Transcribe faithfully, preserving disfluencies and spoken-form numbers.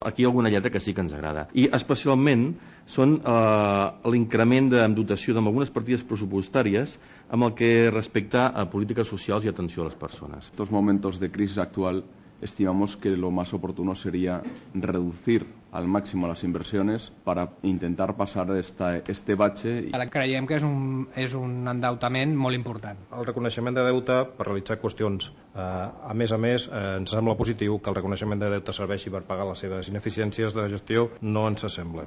aquí hi ha alguna lletra que sí que ens agrada. I especialment són eh, l'increment de dotació d'algunes partides pressupostàries amb el que respecta a polítiques socials y atención a las personas. En estos momentos de crisis actual estimamos que lo más oportuno sería reducir al máximo las inversiones para intentar pasar esta, este bache. Ara creiem que és un, és un endeutament molt important. El reconeixement de deute per realitzar qüestions. Eh, a més a més, eh, ens sembla positiu que el reconeixement de deute serveixi per pagar les seves ineficiències de gestió, no ens sembla.